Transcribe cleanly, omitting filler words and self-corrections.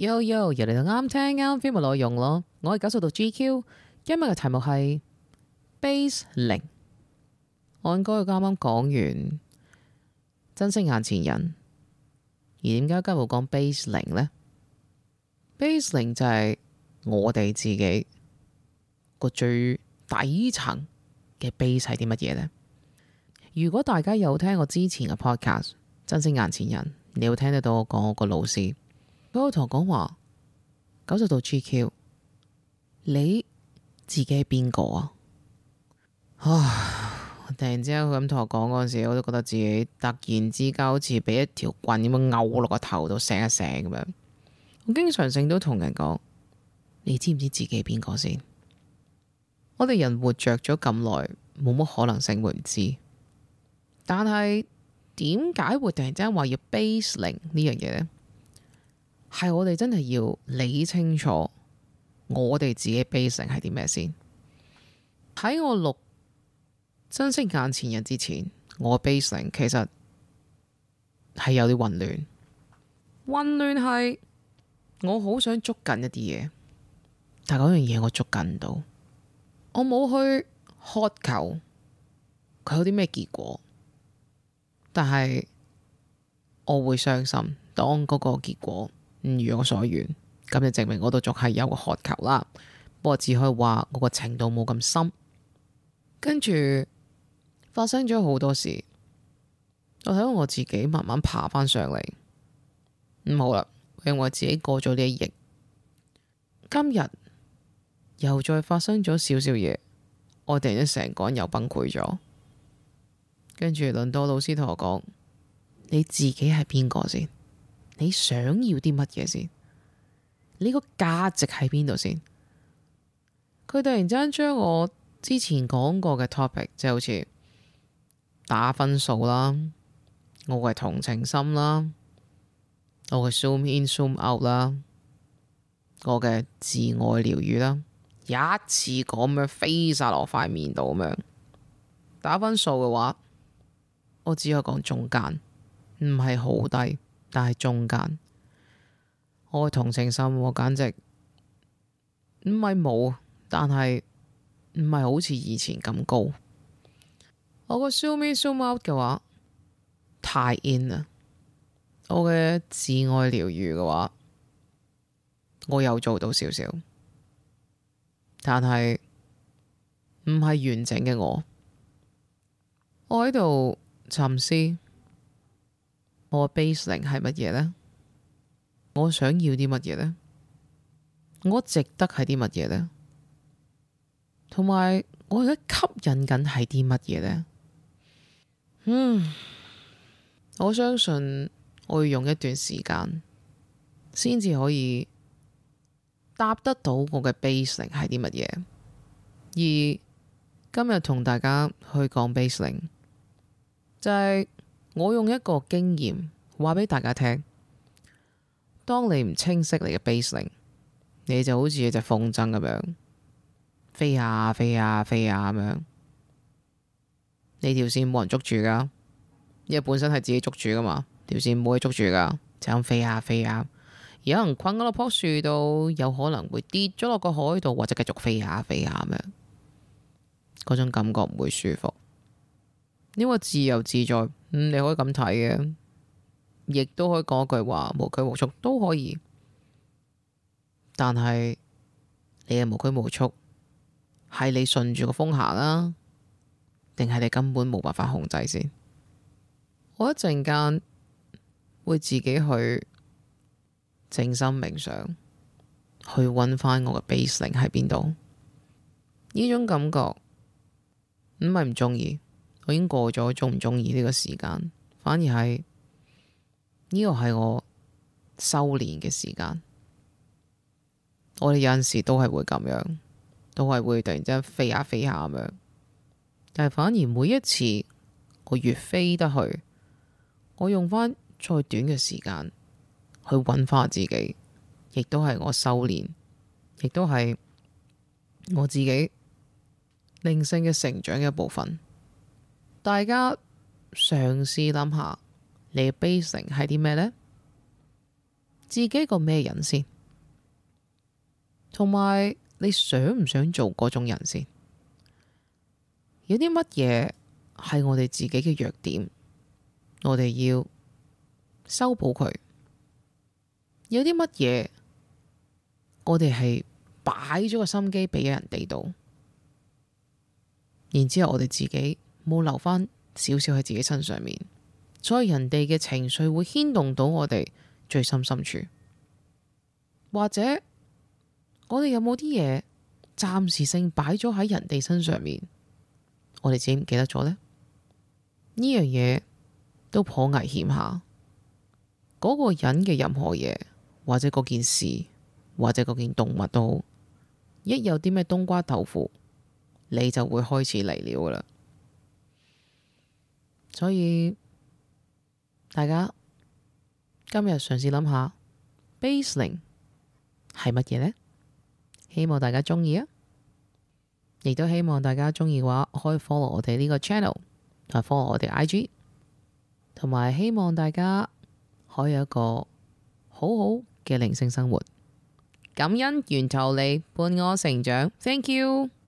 又嚟到啱聽啱 feel 嘅內容咯。我係90度 GQ，今日嘅題目係 Base 0。我應該啱啱講完珍惜眼前人，而點解今日會講 Base 0呢？ Base 0就係我哋自己個最底層嘅 base 係啲乜嘢呢？如果大家有聽我之前嘅 podcast 珍惜眼前人，你會聽得到我講我個老師，佢會同我講話90度 GQ， 你自己係邊個啊？突然之間佢咁同我講嗰陣時，我都覺得自己突然之間好似俾一條棍咁樣勾落個頭度醒一醒咁樣。我經常性都同人講，你知唔知自己係邊個先？我哋人活着咗咁耐，冇乜可能性會唔知。但係點解會突然之間話要 Base 0呢樣嘢呢？係我哋真係要理清楚我哋自己 Base 0係啲咩先。喺我錄珍惜眼前人之前，我 Base 0其實係有啲混亂。混亂係我好想捉緊一啲嘢，但係嗰樣嘢我捉緊唔到。我冇去渴求佢有啲咩結果，但係我會傷心。當嗰個結果唔如我所願，咁就證明我都仲係有個渴求啦。不過只可以話我個程度冇咁深。跟住發生咗好多事，我睇到我自己慢慢爬翻上嚟。好啦，因為我自己過咗呢一役，今日又再發生咗少少嘢，我突然間成個人又崩潰咗。跟住輪到老師同我講，你自己係邊個先？你想要啲乜嘢先？你個價值喺邊度先？佢突然之間將我之前講過嘅 topic， 即係好似打分數啦，我嘅同情心啦，我嘅 zoom in zoom out 啦，我嘅自愛療愈啦，一次咁樣飛晒落塊面度咁樣。打分數嘅話，我只可以講中間，唔係好低，但係中間。我嘅同情心我簡直唔係冇，但係唔係好似以前咁高。我個 zoom in zoom out 嘅話太 in 啦。我嘅自愛療愈嘅話，我有做到少少，但係唔係完整嘅我。我喺度沉思，我嘅 Base 0係乜嘢呢？我想要啲乜嘢呢？我值得係啲乜嘢呢？同埋我而家吸引緊係啲乜嘢呢？我相信我要用一段時間先至可以答得到我嘅 Base 0係啲乜嘢。而今日同大家去講 Base 0，就係我用一個經驗話俾大家聽。當你唔清晰你嘅 Base 0，你就好似一隻風箏咁樣飛下飛下飛下咁樣，你條線冇人捉住噶，因為本身係自己捉住噶嘛，條線冇人捉住噶，就咁飛下飛下，有人困咗落棵樹度，有可能會跌咗落個海度，或者繼續飛下飛下咁樣，嗰種感覺唔會舒服。呢個自由自在，你可以咁睇嘅，亦都可以講一句話，無拘無束都可以。但係你嘅無拘無束係你順住個風行啦，定係你根本冇辦法控制先？我一陣間會自己去靜心冥想，去揾翻我嘅 Base 0喺邊度。呢種感覺唔係唔中意，我已經過咗中唔中意呢個時間，反而係呢個係我修煉嘅時間。我哋有陣時都係會咁樣，都係會突然之間飛下飛下咁樣，但係反而每一次我越飛得去，我用翻再短嘅時間去揾翻自己，亦都係我修煉，亦都係我自己靈性嘅成長嘅一部分。大家嘗試諗下，你嘅 Base 0係啲咩呢？自己個咩人先，同埋你想唔想做嗰種人先？有啲乜嘢係我哋自己嘅弱點，我哋要修補佢；有啲乜嘢我哋係擺咗個心機俾人哋度，然之後我哋自己冇留翻少少喺自己身上面，所以人哋嘅情緒會牽動到我哋最深處。或者我哋有冇啲嘢暫時性擺咗喺人哋身上面，我哋自己唔記得咗呢？呢樣嘢都頗危險下。嗰個人嘅任何嘢，或者嗰件事，或者嗰件動物都好，一有啲咩冬瓜豆腐，你就會開始嚟了噶啦。所以大家今日嘗試諗下 Baseline 係乜嘢呢？希望大家中意啊！亦都希望大家中意嘅話，可以 follow 我哋呢個 channel， 同埋 follow 我哋 IG， 同埋希望大家可以有一個好好嘅靈性生活。感恩源頭嚟伴我成長，Thank you。